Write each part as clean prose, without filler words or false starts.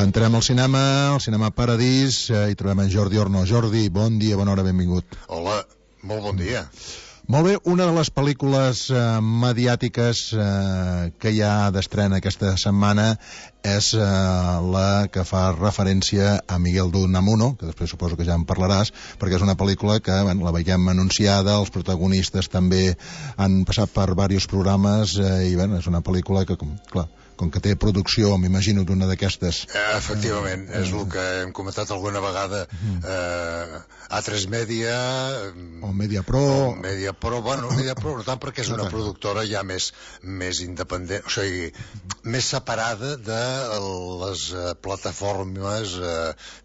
Entrem al cinema Paradís, i trobem en Jordi Orno. Jordi, bon dia, bona hora, benvingut. Hola, molt bon dia. Molt bé, una de les pel·lícules mediàtiques que hi ha d'estrena aquesta setmana és la que fa referència a Miguel de Unamuno, que després suposo que ja en parlaràs, perquè és una pel·lícula que la veiem anunciada, els protagonistes també han passat per diversos programes, i és una pel·lícula que, clar, com que té producció, m'imagino, d'una d'aquestes... Efectivament, és el que hem comentat alguna vegada. A3 Media... O Mediapro... Bueno, Mediapro no tant, perquè és una productora ja més independent, o sigui, més separada de les plataformes,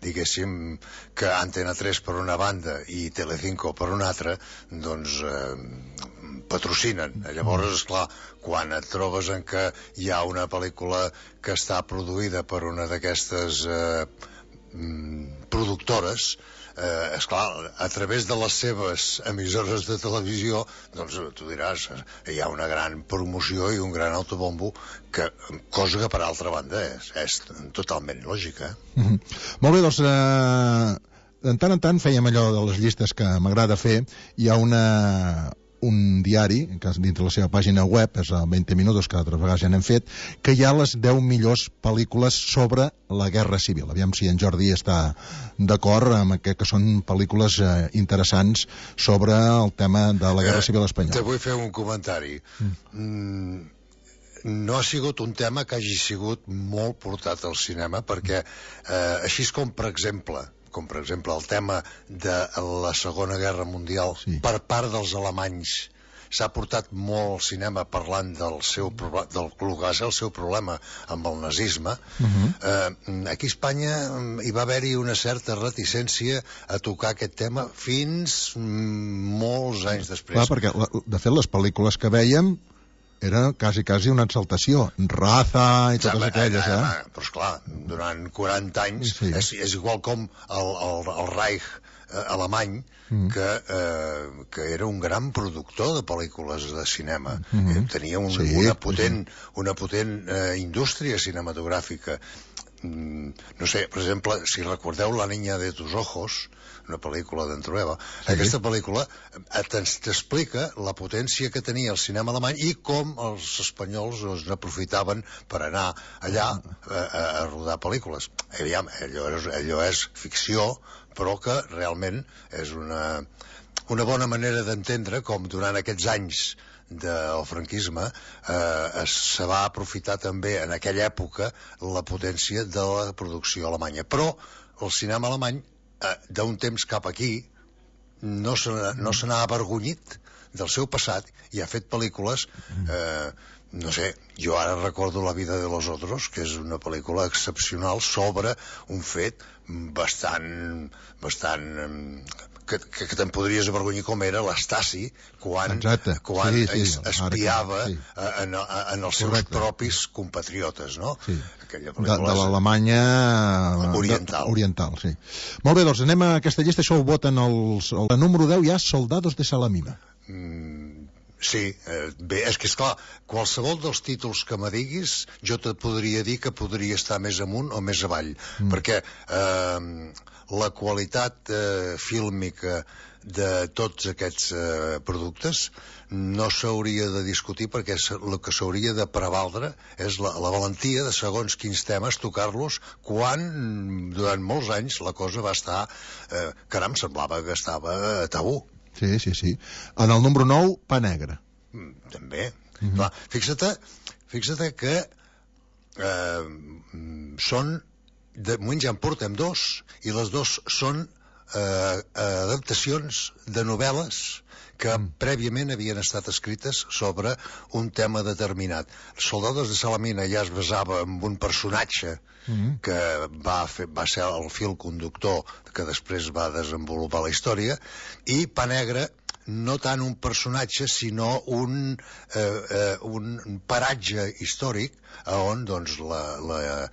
diguéssim, que Antena 3 per una banda i Telecinco per una altra, doncs... patrocinen. Llavors, esclar, quan et trobes en què hi ha una pel·lícula que està produïda per una d'aquestes productores, esclar, a través de les seves emissores de televisió, doncs tu diràs, hi ha una gran promoció i un gran autobombo, cosa que per altra banda és totalment lògica. Molt bé, doncs de tant en tant fèiem allò de les llistes que m'agrada fer. Hi ha un diari, dintre la seva pàgina web, és el 20 Minutos, que altres vegades ja n'hem fet, que hi ha les 10 millors pel·lícules sobre la Guerra Civil. Aviam si en Jordi està d'acord amb que són pel·lícules interessants sobre el tema de la Guerra Civil espanyola. Te vull fer un comentari. No ha sigut un tema que hagi sigut molt portat al cinema, perquè així com, per exemple, el tema de la Segona Guerra Mundial per part dels alemanys s'ha portat molt al cinema parlant del que va ser el seu problema amb el nazisme. Aquí a Espanya hi va haver-hi una certa reticència a tocar aquest tema fins molts anys després. Clar, perquè de fet les pel·lícules que vèiem era quasi una exaltació, Raza i totes aquelles, Però esclar, durant 40 anys és igual com el Reich alemany, que era un gran productor de pel·lícules de cinema. Tenia una potent indústria cinematogràfica. No sé, per exemple, si recordeu La niña de tus ojos, una pel·lícula d'en Trueba, aquesta pel·lícula t'explica la potència que tenia el cinema alemany i com els espanyols n'aprofitaven per anar allà a rodar pel·lícules. Aviam, allò és ficció, però que realment és una bona manera d'entendre com durant aquests anys del franquisme se va aprofitar també en aquella època la potència de la producció alemanya. Però el cinema alemany d'un temps cap aquí no se n'ha avergonyit del seu passat i ha fet pel·lícules, no sé, jo ara recordo La vida de los otros, que és una pel·lícula excepcional sobre un fet bastant que te'n podries avergonyir, com era l'Stasi quan espiava en els seus propis compatriotes, no? De l'Alemanya oriental, sí. Molt bé, doncs anem a aquesta llista. Això ho voten el número 10 ja, Soldados de Salamina. Sí, bé, és que esclar, qualsevol dels títols que me diguis jo te podria dir que podria estar més amunt o més avall, perquè la qualitat fílmica de tots aquests productes no s'hauria de discutir, perquè el que s'hauria de prevaldre és la valentia de segons quins temes tocar-los, quan durant molts anys la cosa va estar caram, semblava que estava tabú. Sí. En el número 9, Pa Negre. També. Clar, fixa't que són... De moment ja en portem dos, i les dos són adaptacions de novel·les que prèviament havien estat escrites sobre un tema determinat. Soldados de Salamina ja es basava en un personatge que va ser el fil conductor que després va desenvolupar la història, i Pa Negre no tant un personatge sinó un paratge històric on doncs la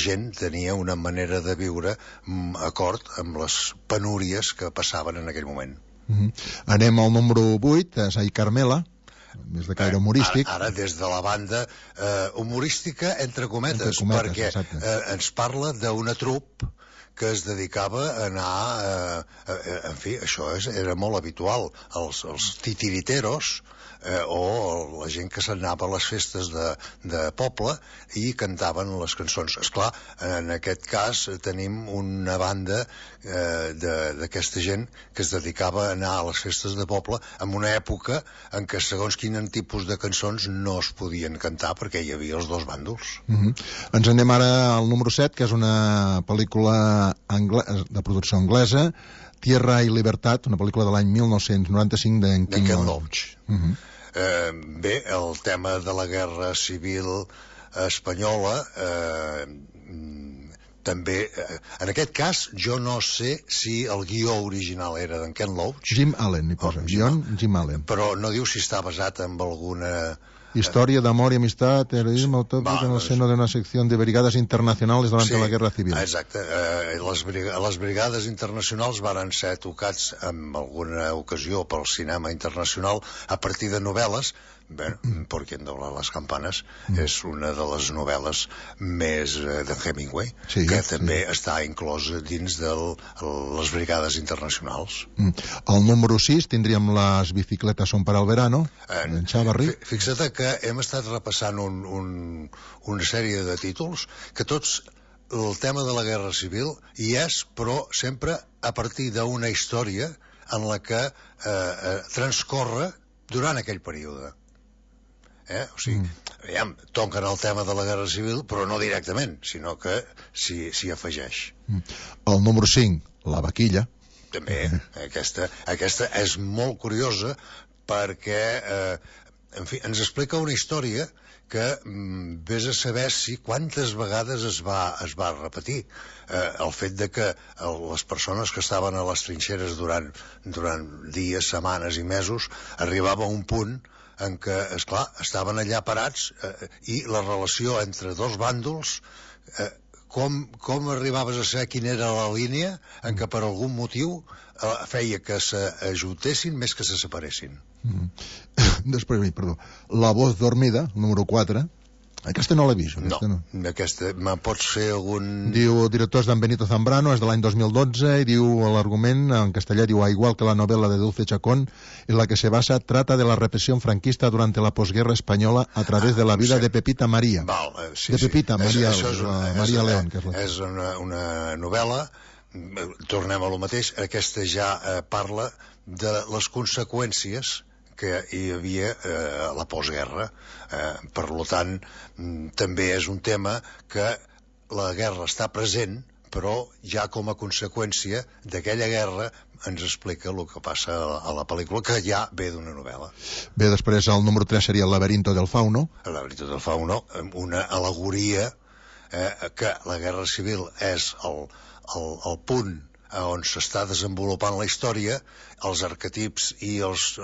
gent tenia una manera de viure acord amb les penúries que passaven en aquell moment. Anem al número 8, és Ai Carmela. més de caire humorístic. Ara des de la banda humorística, entre cometes, perquè ens parla d'una trup que es dedicava a anar... en fi, això era molt habitual. Els titiriteros, o la gent que s'anava a les festes de poble i cantaven les cançons. Esclar, en aquest cas tenim una banda d'aquesta gent que es dedicava a anar a les festes de poble en una època en què segons quin tipus de cançons no es podien cantar perquè hi havia els dos bàndols. Ens anem ara al número 7, que és una pel·lícula de producció anglesa, Tierra y Libertad, una pel·lícula de l'any 1995 d'en Ken Loach. Bé, el tema de la guerra civil espanyola també, en aquest cas jo no sé si el guió original era d'en Ken Loach, Jim Allen hi posa, Jim Allen, però no diu si està basat en alguna historia de amor y amistad, terrorismo utópico en el seno de una sección de brigadas internacionales durante la guerra civil. Exacte, les brigades internacionals varen ser tocats en alguna ocasió pel cinema internacional a partir de novel·les. Bé, Por quien dobla les campanes és una de les novel·les més de Hemingway, que també està inclòs dins de les brigades internacionals. Al número 6 tindríem Les bicicletas son para el verano, d'en Chavarri. Fixa't que hem estat repassant una sèrie de títols que tots el tema de la guerra civil hi és, però sempre a partir d'una història en la que transcorre durant aquell període. O sigui, toquen el tema de la guerra civil, però no directament, sinó que s'hi afegeix. El número 5, La vaquilla. També, aquesta és molt curiosa perquè, en fi, ens explica una història que vés a saber si quantes vegades es va repetir. El fet de que les persones que estaven a les trinxeres durant dies, setmanes i mesos arribava a un punt en què, esclar, estaven allà parats i la relació entre dos bàndols, com arribaves a saber quina era la línia en què per algun motiu feia que s'ajuntessin més que se separessin. Després, perdó, La voz dormida, número 4. Aquesta no l'he vist. Aquesta, pots fer algun... Diu, director d'en Benito Zambrano, és de l'any 2012, i diu, l'argument en castellà diu, igual que la novela de Dulce Chacón, en la que se basa, trata de la represión franquista durante la posguerra española a través de la vida de Pepita María. De Pepita María León. És una novel·la, tornem a lo mateix, aquesta ja parla de les conseqüències que hi havia a la postguerra. Per tant, també és un tema que la guerra està present, però ja com a conseqüència d'aquella guerra ens explica el que passa a la pel·lícula, que ja ve d'una novel·la. Bé, després el número 3 seria El laberinto del fauno. El laberinto del fauno, una al·legoria que la guerra civil és el punt on s'està desenvolupant la història, els arquetips i els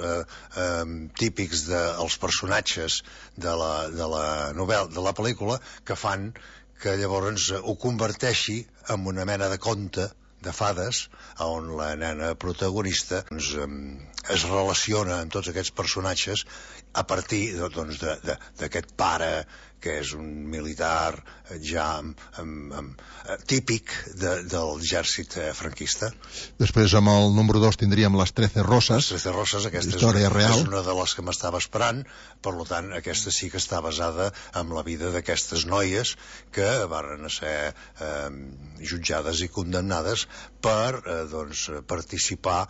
típics dels personatges de la novel·la, de la pel·lícula, que fan que llavors ho converteixi en una mena de conte de fades, on la nena protagonista es relaciona amb tots aquests personatges a partir d'aquest pare que és un militar ja típic de l'exèrcit franquista. Després amb el número 2 tindríem Les 13 Roses. Les 13 Roses, aquesta és una de les que m'estava esperant, per tant aquesta sí que està basada en la vida d'aquestes noies que van ser jutjades i condemnades per participar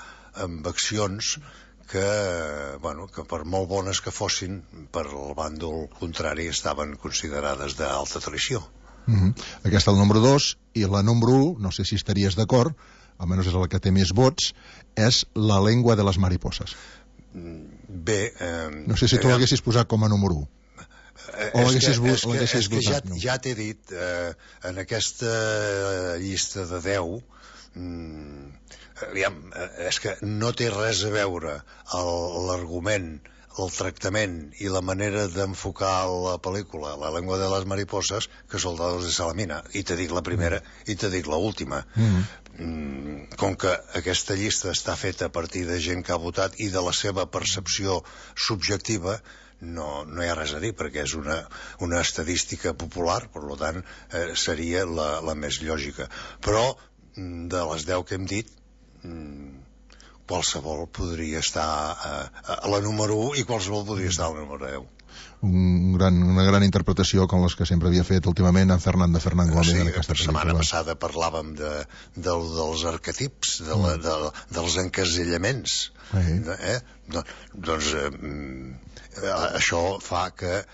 en accions que per molt bones que fossin, per al bàndol contrari estaven considerades d'alta traïció. Aquesta el número 2, i la número 1, no sé si estaries d'acord, almenys és la que té més vots, és La lengua de les mariposas. Bé... no sé si tu l'haguessis posat com a número 1. És que ja t'he dit, en aquesta llista de 10... és que no té res a veure l'argument, el tractament i la manera d'enfocar la pel·lícula, La lengua de las mariposas, que Soldados de Salamina. I te dic la primera i te dic l'última. Com que aquesta llista està feta a partir de gent que ha votat i de la seva percepció subjectiva, no hi ha res a dir, perquè és una estadística popular, per tant seria la més lògica. Però de les 10 que hem dit, qualsevol podria estar a la número 1 i qualsevol podria estar a la número 10. Una gran interpretació com les que sempre havia fet últimament en Fernando Gómez. Sí, la setmana passada parlàvem dels arquetips, dels encasellaments. Doncs això fa que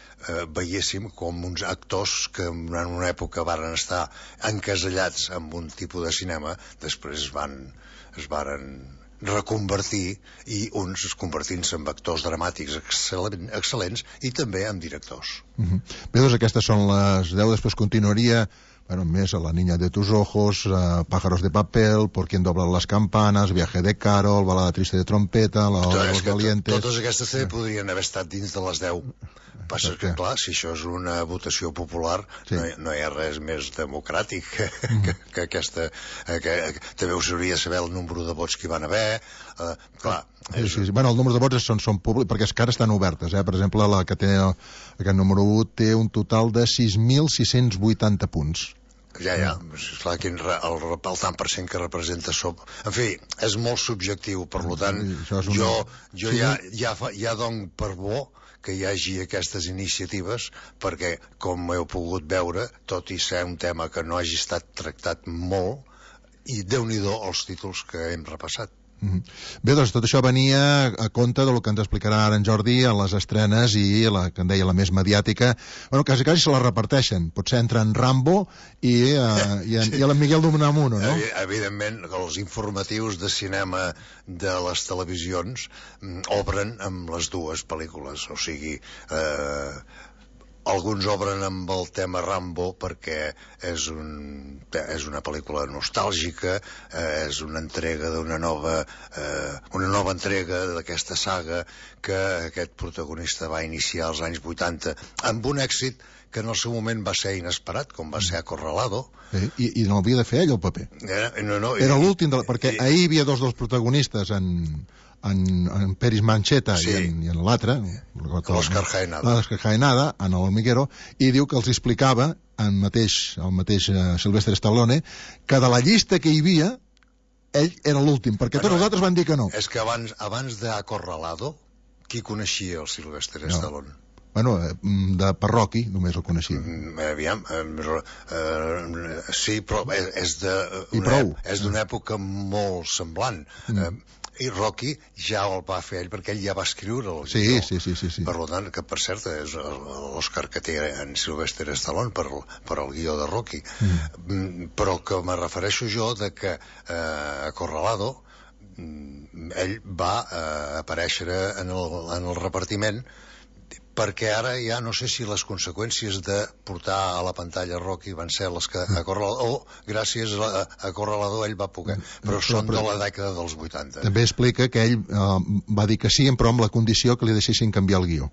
veiéssim com uns actors que en una època varen estar encasellats en un tipus de cinema, després es varen reconvertir, i uns convertint-se en actors dramàtics excel·lents i també en directors. Bé, doncs aquestes són les 10, després continuaria més a La niña de tus ojos, Pájaros de papel, Por quien doblan las campanas, Viaje de Carol, Balada triste de trompeta, La hora de los valientes... Totes aquestes podrien haver estat dins de les 10. Passa que, clar, si això és una votació popular, no hi ha res més democràtic que aquesta... També us hauria de saber el número de vots que hi van haver. Clar... Bueno, el número de vots són públics, perquè és que ara estan obertes. Per exemple, la que té aquest número 1 té un total de 6.680 punts. Ja, esclar, el tant per cent que representa en fi, és molt subjectiu, per tant, jo ja dono per bo que hi hagi aquestes iniciatives, perquè, com heu pogut veure, tot i ser un tema que no hagi estat tractat molt, i Déu-n'hi-do els títols que hem repassat. Bé, doncs tot això venia a compte del que ens explicarà ara en Jordi a les estrenes i la que en deia la més mediàtica. Bueno, quasi se la reparteixen. Potser entra en Rambo i en Miguel d'Unamuno, no? Evidentment, els informatius de cinema de les televisions obren amb les dues pel·lícules. O sigui, alguns obren amb el tema Rambo perquè és una pel·lícula nostàlgica, és una entrega d'una nova entrega d'aquesta saga que aquest protagonista va iniciar als anys 80 amb un èxit que en el seu moment va ser inesperat, com va ser Acorralado. I no havia de fer ell el paper. Era l'últim, perquè ahir hi havia dos dels protagonistes en Peris Mancheta i en l'altre, l'Òscar Jaenada, en el Hormiguero, i diu que els explicava el mateix Sylvester Stallone, que de la llista que hi havia ell era l'últim, perquè tots els altres van dir que no. És que abans d'Acorralado, qui coneixia el Sylvester Stallone? Bueno, per Rocky només el coneixia. Aviam, sí, però és d'una època molt semblant. I Rocky ja el va fer ell perquè ell ja va escriure el guió. Sí. Per tant, que per cert és l'Òscar que té en Sylvester Stallone per el guió de Rocky. Però que me refereixo jo de que Acorralado ell va aparèixer en el repartiment, perquè ara ja no sé si les conseqüències de portar a la pantalla Rocky van ser les que gràcies a Acorralado ell va poder, però són de la dècada dels 80. També explica que ell va dir que sí, però amb la condició que li deixessin canviar el guió.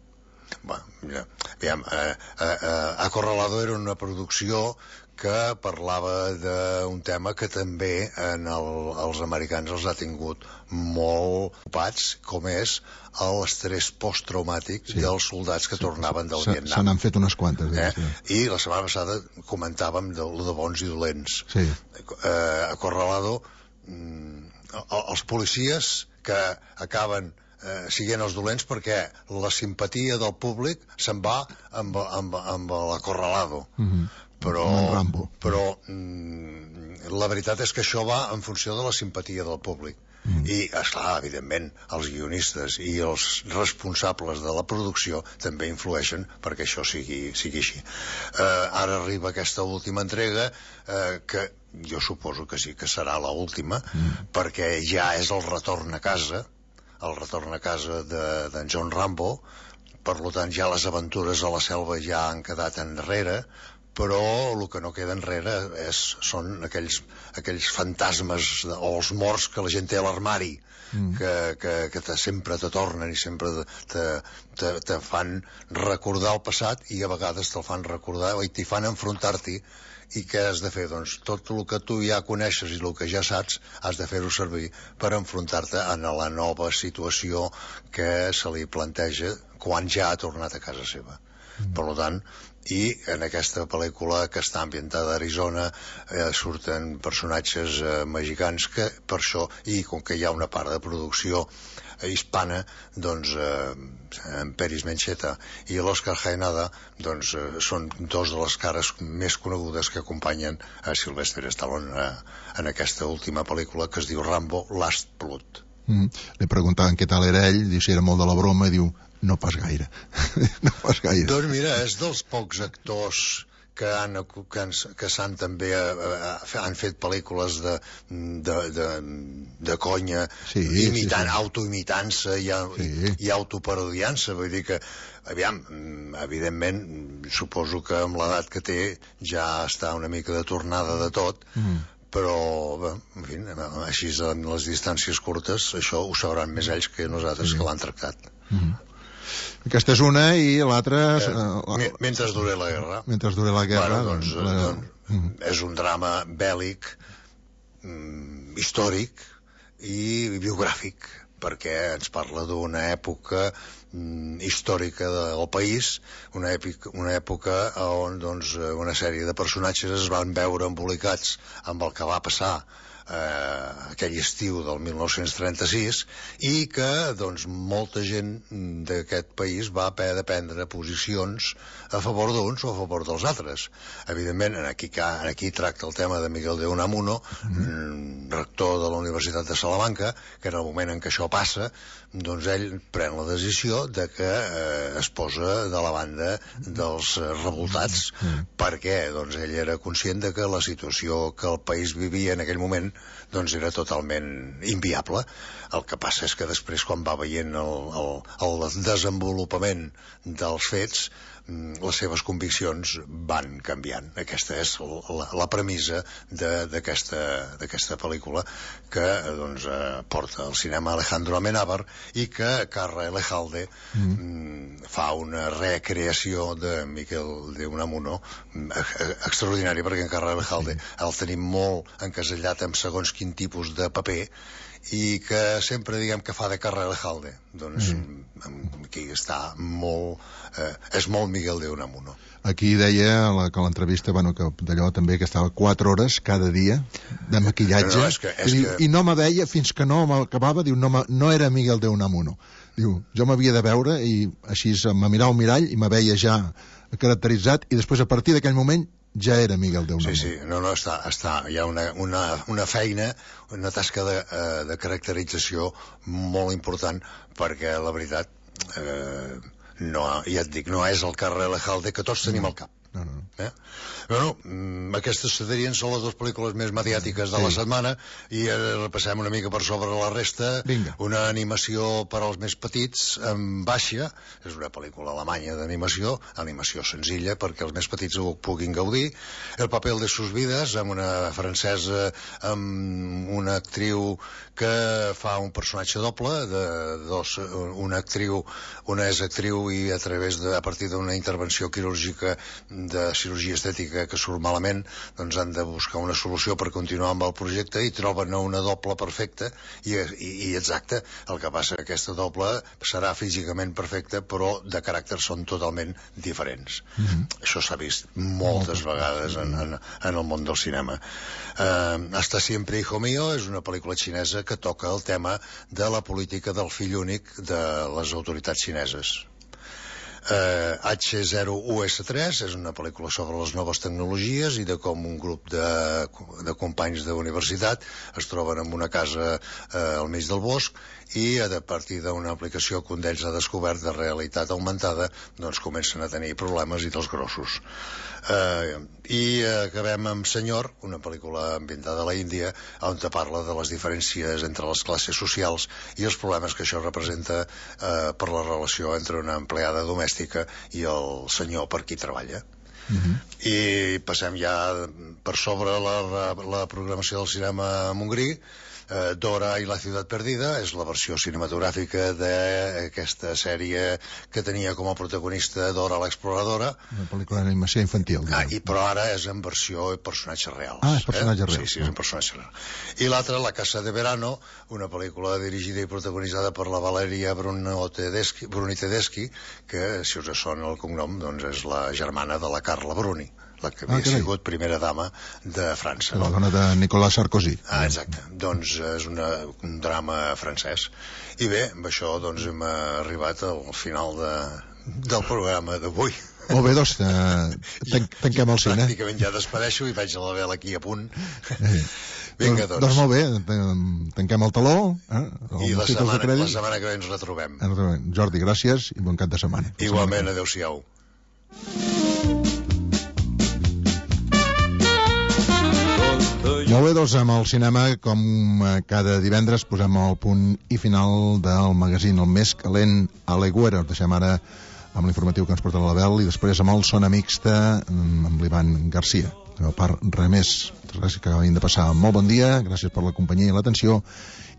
Acorralado era una producció que parlava d'un tema que també els americans els ha tingut molt ocupats, com és l'estrès posttraumàtic dels soldats que tornaven del Vietnam. Se n'han fet unes quantes. I la setmana passada comentàvem de bons i dolents. Acorralado, els policies que acaben siguent els dolents perquè la simpatia del públic se'n va amb l'Acorralado. Però la veritat és que això va en funció de la simpatia del públic. I, esclar, evidentment, els guionistes i els responsables de la producció també influeixen perquè això sigui així. Ara arriba aquesta última entrega, que jo suposo que sí que serà l'última, perquè ja és el retorn a casa d'en John Rambo. Per tant, ja les aventures a la selva ja han quedat enrere, però el que no queda enrere són aquells fantasmes o els morts que la gent té a l'armari, que sempre te tornen i sempre te fan recordar el passat, i a vegades te'l fan recordar i t'hi fan enfrontar-t'hi. I què has de fer? Doncs tot el que tu ja coneixes i el que ja saps has de fer-ho servir per enfrontar-te a la nova situació que se li planteja quan ja ha tornat a casa seva. Per tant, i en aquesta pel·lícula, que està ambientada a Arizona, surten personatges mexicans que per això, i com que hi ha una part de producció hispana, doncs en Peris Mencheta i l'Òscar Jaenada doncs són dos de les cares més conegudes que acompanyen a Sylvester Stallone en aquesta última pel·lícula, que es diu Rambo Last Blood. Li preguntaven què tal era ell, diu si era molt de la broma, i diu no pas gaire. No pas gaire. Doncs mira, és dels pocs actors que s'han també han fet pel·lícules de conya, autoimitant-se i autoparodiant-se. Vull dir que, aviam, evidentment, suposo que amb l'edat que té ja està una mica de tornada de tot, però, en fi, així en les distàncies curtes, això ho sabran més ells que nosaltres, que l'han tractat. Aquesta és una, i l'altra... Mentre dure la guerra. Mentre dure la guerra, doncs és un drama bèl·lic, històric i biogràfic, perquè ens parla d'una època històrica del país, una època on una sèrie de personatges es van veure embolicats amb el que va passar aquell estiu del 1936, i que molta gent d'aquest país va haver de prendre posicions a favor d'uns o a favor dels altres. Evidentment, aquí tracta el tema de Miguel de Unamuno, rector de la Universitat de Salamanca, que en el moment en què això passa, doncs ell pren la decisió de que es posa de la banda dels revoltats, perquè ell era conscient de que la situació que el país vivia en aquell moment era totalment inviable. El que passa és que després, quan va veient el desenvolupament dels fets, les seves conviccions van canviant. Aquesta és la premissa d'aquesta pel·lícula, que porta al cinema Alejandro Amenábar, i que Carra Elejalde fa una recreació de Miquel de Unamuno extraordinària, perquè en Carra Elejalde el tenim molt encasellat amb segons quin tipus de paper, i que sempre diguem que fa de Carra Elejalde. Doncs aquí està molt... és molt Miguel de Unamuno. Aquí deia que l'entrevista, que d'allò també, que estava 4 hores cada dia de maquillatge, i no me veia fins que no m'acabava. Diu, no era Miguel de Unamuno. Diu, jo m'havia de veure, i així me mirava al mirall i me veia ja caracteritzat, i després, a partir d'aquell moment, ja era Miguel de Unamuno. Sí, hi ha una feina, una tasca de caracterització molt important, perquè la veritat, ja et dic, no és el Carra Elejalde que tots tenim al cap. Aquestes serien són les dues pel·lícules més mediàtiques de la setmana, i repassem una mica per sobre la resta. Una animació per als més petits, en Baixa, és una pel·lícula alemanya d'animació, animació senzilla perquè els més petits ho puguin gaudir. El papel de sus vides, amb una francesa, amb una actriu que fa un personatge doble, una és actriu, i a partir d'una intervenció quirúrgica de cirurgia estètica que surt malament, doncs han de buscar una solució per continuar amb el projecte, i troben una doble perfecta i exacta. El que passa que aquesta doble serà físicament perfecta, però de caràcter són totalment diferents. Això s'ha vist moltes vegades en el món del cinema. Hasta siempre, hijo mío, és una pel·lícula xinesa que toca el tema de la política del fill únic de les autoritats xineses. H0US3 és una pel·lícula sobre les noves tecnologies i de com un grup de companys d'universitat es troben en una casa al mig del bosc, i a partir d'una aplicació que un d'ells ha descobert de realitat augmentada, doncs comencen a tenir problemes, i dels grossos. I acabem amb Senyor, una pel·lícula ambientada a la Índia, on parla de les diferències entre les classes socials i els problemes que això representa per la relació entre una empleada domèstica i el senyor per qui treballa. I passem ja per sobre la programació del cinema Montgrí. Dora i la ciutat perdida és la versió cinematogràfica d'aquesta sèrie que tenia com a protagonista Dora l'exploradora, una pel·lícula d'animació infantil, però ara és en versió personatges reals. És personatge real. Sí, és en personatge real. I l'altra, La casa de verano, una pel·lícula dirigida i protagonitzada per la Valeria Bruni Tedeschi, que, si us sona el cognom, doncs és la germana de la Carla Bruni, la que havia sigut primera dama de França. La dona de Nicolas Sarkozy. Exacte. Doncs és un drama francès. I bé, amb això doncs hem arribat al final del programa d'avui. Molt bé, doncs tanquem el cine. Pràcticament ja despedeixo i vaig a la vela aquí a punt. Vinga, doncs. Doncs molt bé, tanquem el taló. I la setmana que ve ens retrobem. Jordi, gràcies i bon cap de setmana. Igualment, adeu-siau. Molt bé, doncs amb el cinema, com cada divendres, posem el punt i final del magazín El Més Calent a l'Aigüera. Us deixem ara amb l'informatiu que ens porta l'Abel i després amb el Sona Mixta amb l'Ivan Garcia. A part, res més. Gràcies que acabin de passar. Molt bon dia, gràcies per la companyia i l'atenció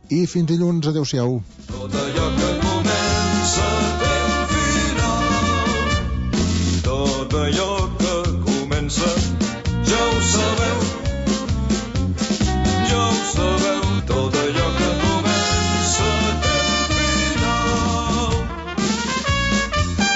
i fins dilluns. Adéu-siau. Tot allò que comença té un final. Tot allò que comença ja ho sabem.